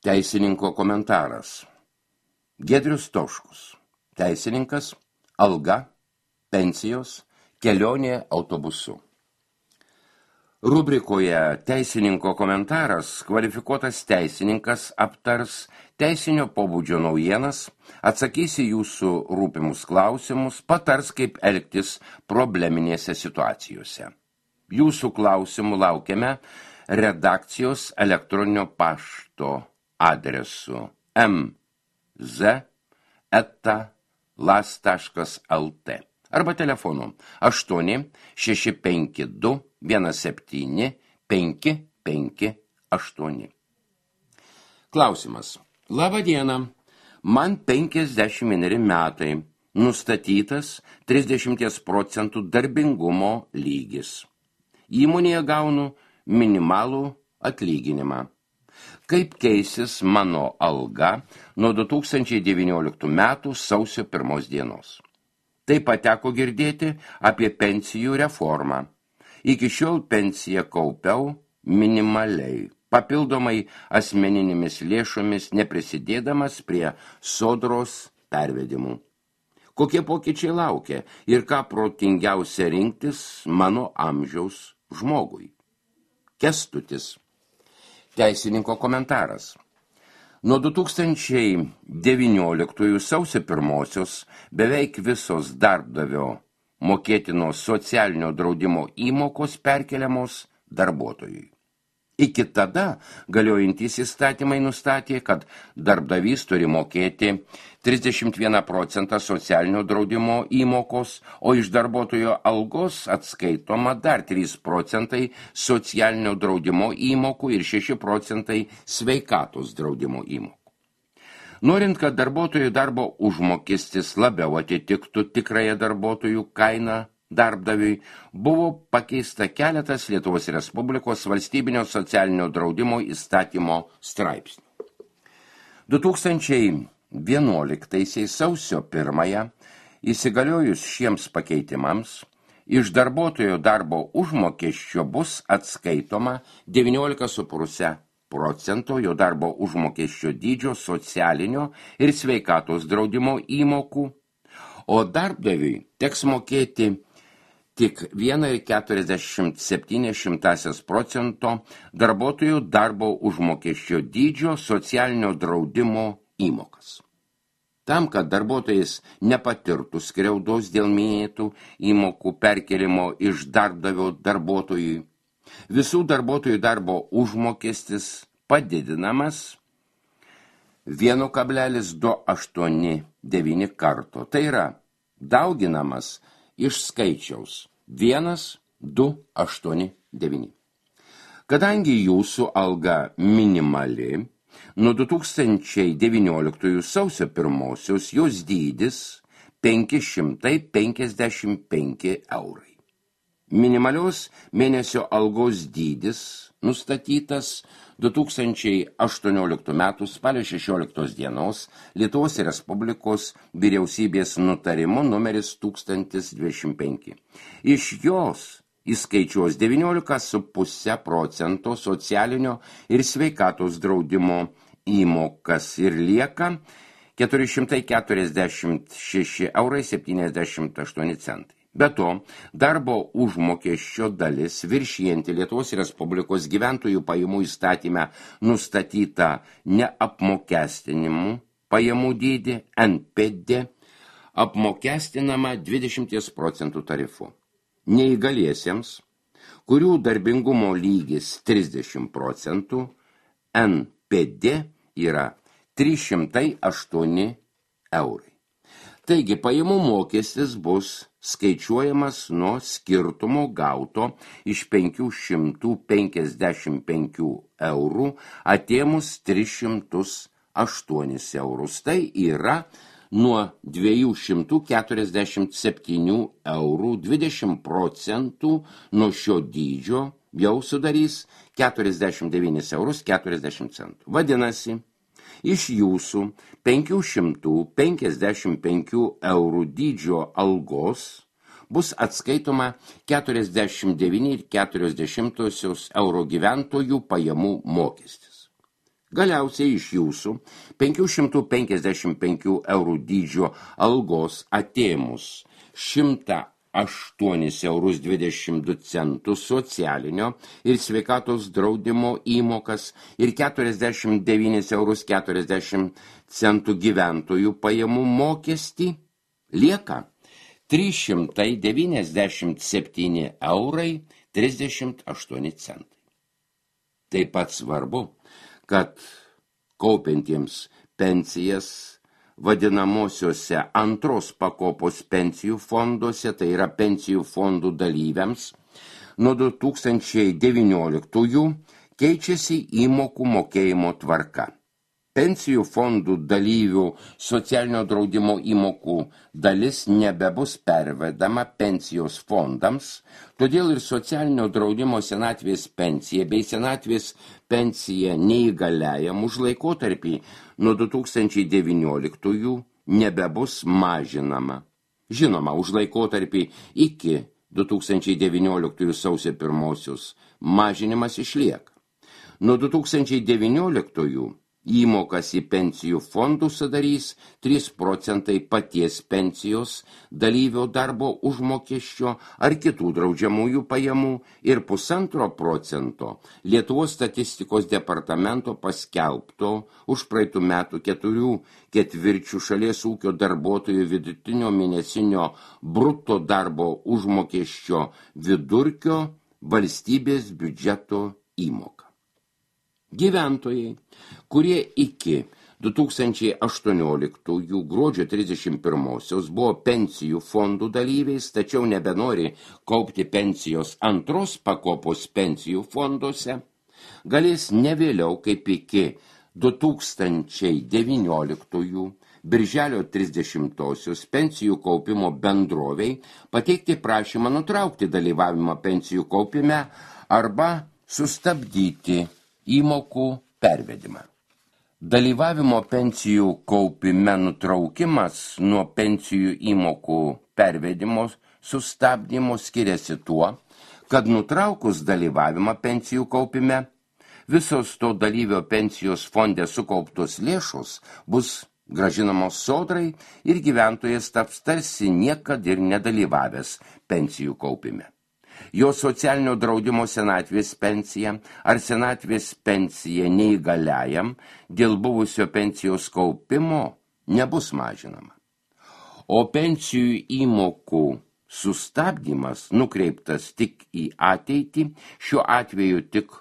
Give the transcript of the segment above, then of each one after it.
Teisininko komentaras. Giedrius Toškus. Teisininkas, alga, pensijos, kelionė autobusu. Rubrikoje Teisininko komentaras kvalifikuotas teisininkas aptars teisinio pobūdžio naujienas, atsakys į jūsų rūpimus klausimus, patars, kaip elgtis probleminėse situacijose. Jūsų klausimų laukiame redakcijos elektroninio pašto adresu mz@las.lt arba telefonu 8-652-17-558. Klausimas. Labą dieną. Man 51 metai. Nustatytas 30% darbingumo lygis. Įmonėje gaunu minimalų atlyginimą. Kaip keisis mano alga nuo 2019 metų sausio 1 dienos? Taip pat teko girdėti apie pensijų reformą. Iki šiol pensiją kaupiau minimaliai, papildomai asmeninėmis lėšomis neprisidėdamas prie sodros pervedimų. Kokie pokyčiai laukia ir ką protingiausia rinktis mano amžiaus žmogui? Kęstutis. Teisininko komentaras. Nuo 2019 sausio 1 beveik visos darbdavio mokėtinos socialinio draudimo įmokos perkeliamos darbuotojui. Iki tada galiojantys įstatymai nustatė, kad darbdavys turi mokėti 31% socialinio draudimo įmokos, o iš darbuotojo algos atskaitoma dar 3% socialinio draudimo įmokų ir 6% sveikatos draudimo įmokų. Norint, kad darbuotojų darbo užmokestis labiau atitiktų tikrąją darbuotojų kainą darbdaviui, buvo pakeista keletas Lietuvos Respublikos valstybinio socialinio draudimo įstatymo straipsnių. 2011 sausio 1 įsigaliojus šiems pakeitimams, iš darbuotojo darbo užmokesčio bus atskaitoma 19,5% jo darbo užmokesčio dydžio socialinio ir sveikatos draudimo įmokų, o darbdaviui teks mokėti tik 1,47% darbuotojų darbo užmokesčio dydžio socialinio draudimo įmokas. Tam, kad darbuotojas nepatirtų skriaudos dėl minėtų įmokų perkelimo iš darbdavio darbuotojui, visų darbuotojų darbo užmokestis padidinamas 1,289 karto. Tai yra dauginamas iš skaičiaus 1,289. Kadangi jūsų alga minimali, nuo 2019 sausio 1 jos dydis 555 eurai. Minimalios mėnesio algos dydis nustatytas 2018 m. spalio 16 dienos Lietuvos Respublikos vyriausybės nutarimu numeris 1025. Iš jos įskaičiuos 19,5% socialinio ir sveikatos draudimo įmokas ir lieka 446,78 eurai. Be to, darbo užmokesčio dalis viršijanti Lietuvos Respublikos gyventojų pajamų įstatyme nustatyta neapmokestinimų pajamų dydį NPD apmokestinama 20% tarifu. Neįgaliesiems, kurių darbingumo lygis 30%, NPD yra 308 eurai. Taigi, pajamų mokestis bus skaičiuojamas nuo skirtumo gauto iš 555 eurų atėmus 308 eurus. Tai yra nuo 247 eurų 20% nuo šio dydžio jau sudarys 49 eurus 40 centų. Vadinasi, iš jūsų 555 eurų dydžio algos bus atskaitoma 49,4 euro gyventojų pajamų mokestis. Galiausiai iš jūsų 555 eurų dydžio algos atėmus 108,22 eurus socialinio ir sveikatos draudimo įmokas ir 49,40 eurus gyventojų pajamų mokestį lieka 397 eurai 38 centai. Taip pat svarbu, kad kaupiantiems pensijas vadinamosiuose antros pakopos pensijų fonduose, tai yra pensijų fondų dalyviams, nuo 2019 keičiasi įmokų mokėjimo tvarka. Pensijų fondų dalyvių socialinio draudimo įmokų dalis nebebus pervedama pensijos fondams, todėl ir socialinio draudimo senatvės pensija bei senatvės pensija neįgaliajam už laikotarpį nuo 2019 nebebus mažinama. Žinoma, už laikotarpį iki 2019 sausio 1 mažinimas išlieka. Nuo 2019 įmokas į pensijų fondų sudarys 3 procentai paties pensijos dalyvio darbo užmokesčio ar kitų draudžiamųjų pajamų ir 1,5 procento Lietuvos statistikos departamento paskelbto už praeitų metų 4/4 šalies ūkio darbuotojų vidutinio mėnesinio bruto darbo užmokesčio vidurkio valstybės biudžeto įmoka. Gyventojai, kurie iki 2018 gruodžio 31 buvo pensijų fondų dalyviais, tačiau nebenori kaupti pensijos antros pakopos pensijų fonduose, galės ne vėliau kaip iki 2019 birželio 30 pensijų kaupimo bendroviai pateikti prašymą nutraukti dalyvavimą pensijų kaupime arba sustabdyti įmokų pervedimą. Dalyvavimo pensijų kaupime nutraukimas nuo pensijų įmokų pervedimo sustabdymo skiriasi tuo, kad nutraukus dalyvavimą pensijų kaupime, visos to dalyvio pensijos fonde sukauptos lėšos bus grąžinamos sodrai ir gyventojas taps tarsi niekad ir nedalyvavęs pensijų kaupime. Jo socialinio draudimo senatvės pensija ar senatvės pensija neįgaliajam dėl buvusio pensijos kaupimo nebus mažinama. O pensijų įmokų sustabdymas nukreiptas tik į ateitį, šiuo atveju tik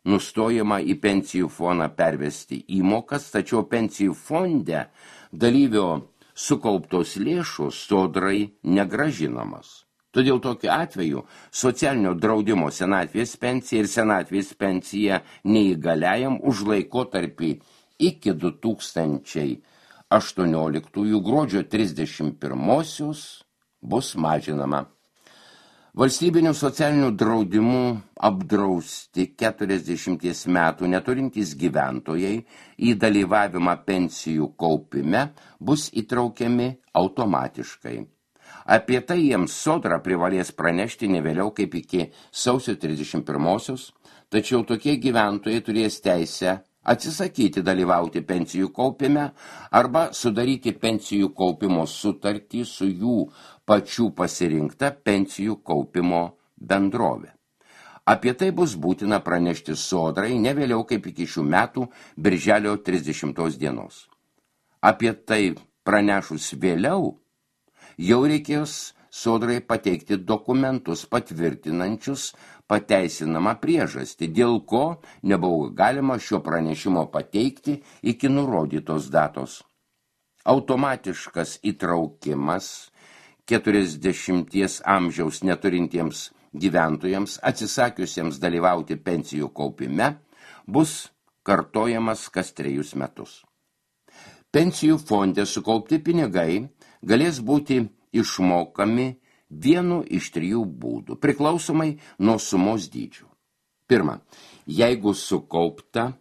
nustojama į pensijų fondą pervesti įmokas, tačiau pensijų fonde dalyvio sukauptos lėšos sodrai negrąžinamos. Todėl tokiu atveju socialinio draudimo senatvės pensija ir senatvės pensija neįgaliajam už laikotarpį iki 2018 gruodžio 31 bus mažinama. Valstybinių socialinių draudimų apdrausti 40 metų neturintys gyventojai į dalyvavimą pensijų kaupime bus įtraukiami automatiškai. Apie tai jiems sodra privalės pranešti ne vėliau kaip iki sausio 31, tačiau tokie gyventojai turės teisę atsisakyti dalyvauti pensijų kaupime arba sudaryti pensijų kaupimo sutartį su jų pačių pasirinkta pensijų kaupimo bendrovė. Apie tai bus būtina pranešti sodrai ne vėliau kaip iki šių metų birželio 30 dienos. Apie tai pranešus vėliau, jau reikės sodrai pateikti dokumentus patvirtinančius pateisinamą priežastį, dėl ko nebuvo galima šio pranešimo pateikti iki nurodytos datos. Automatiškas įtraukimas 40 amžiaus neturintiems gyventojams atsisakiusiems dalyvauti pensijų kaupime bus kartojamas kas 3 metus. Pensijų fonde sukaupti pinigai galės būti išmokami vienu iš 3 būdų, priklausomai nuo sumos dydžių. Pirma, jeigu sukaupta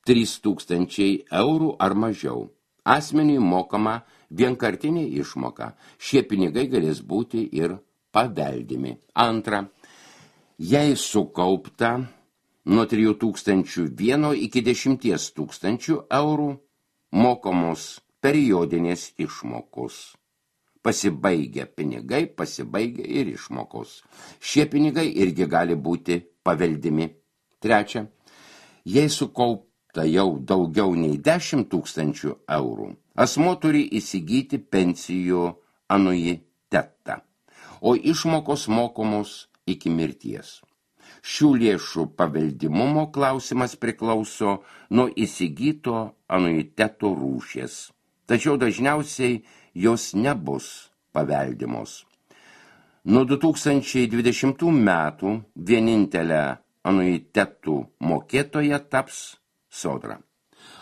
3000 eurų ar mažiau, asmeniui mokama vienkartinė išmoka. Šie pinigai galės būti ir paveldimi. Antra, jei sukaupta nuo 3001 iki 10 000 eurų mokamos periodinės išmokos. Pasibaigia pinigai, pasibaigia ir išmokos. Šie pinigai irgi gali būti paveldimi. Trečia, jei sukaupta jau daugiau nei 10 000 eurų, asmuo turi įsigyti pensijų anuitetą, o išmokos mokomos iki mirties. Šių lėšų paveldimumo klausimas priklauso nuo įsigyto anuiteto rūšies, tačiau dažniausiai jos nebus paveldimos. Nuo 2020 metų vienintelė anuitetų mokėtoja taps Sodra.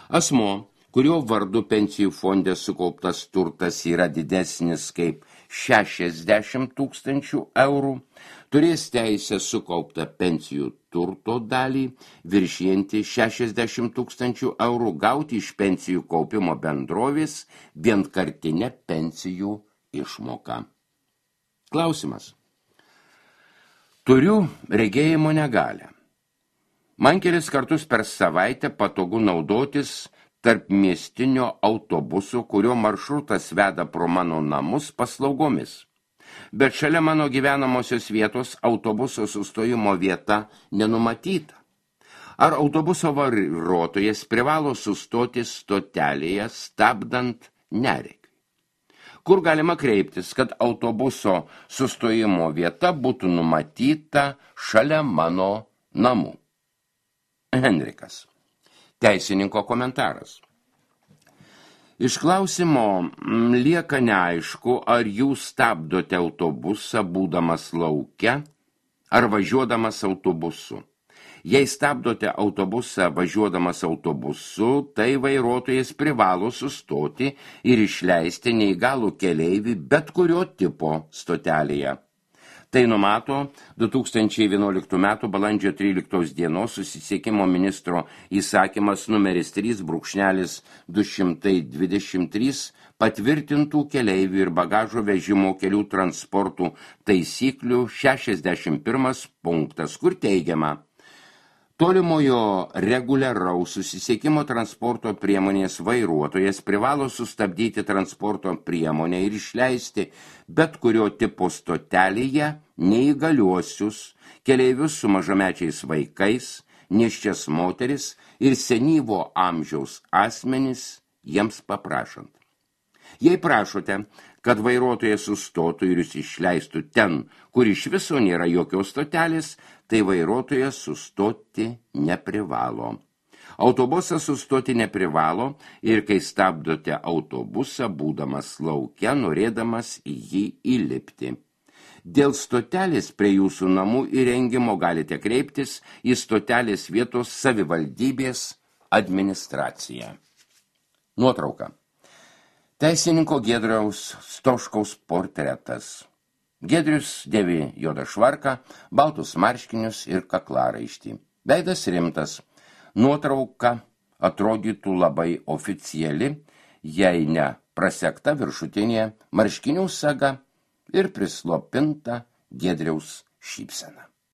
Asmuo, kurio vardu pensijų fonde sukauptas turtas yra didesnis kaip 60 000 eurų, turės teisę sukauptą pensijų turto dalį viršijantį 60 000 eurų gauti iš pensijų kaupimo bendrovės vienkartinę pensijų išmoką. Klausimas. Turiu regėjimo negalią. Man kelis kartus per savaitę patogu naudotis tarp miestinio autobuso, kurio maršrutas veda pro mano namus paslaugomis. Bet šalia mano gyvenamosios vietos autobuso sustojimo vieta nenumatyta. Ar autobuso vairuotojas privalo sustoti stotelėje, stabdant neregiui? Kur galima kreiptis, kad autobuso sustojimo vieta būtų numatyta šalia mano namų? Henrikas. Teisininko komentaras. Iš klausimo lieka neaišku, ar jūs stabdote autobusą būdamas lauke ar važiuodamas autobusu. Jei stabdote autobusą važiuodamas autobusu, tai vairuotojas privalo sustoti ir išleisti neįgalų keleivį bet kurio tipo stotelėje. Tai numato 2011 m. balandžio 13 dienos susisiekimo ministro įsakymas numeris 3/223 patvirtintų keleivių ir bagažo vežimo kelių transportų taisyklių 61 punktas, kur teigiama: tolimojo reguliaraus susisiekimo transporto priemonės vairuotojas privalo sustabdyti transporto priemonę ir išleisti bet kurio tipo stotelėje neįgaliuosius, keleivius su mažamečiais vaikais, nėščias moteris ir senyvo amžiaus asmenis jiems paprašant. Jei prašote, kad vairuotojas sustotų ir jūs išleistų ten, kur iš viso nėra jokios stotelės, tai vairuotojas sustoti neprivalo. Autobusas sustoti neprivalo ir kai stabdote autobusą, būdamas lauke, norėdamas į jį įlipti. Dėl stotelės prie jūsų namų įrengimo galite kreiptis į stotelės vietos savivaldybės administraciją. Nuotrauka. Teisininko Giedriaus Stoškaus portretas. Giedrius dėvi juodą švarką, baltus marškinius ir kaklaraištį. Veidas rimtas. Nuotrauka atrodytų labai oficiali, jei ne prasekta viršutinė marškinių saga ir prislopinta Giedriaus šypsena.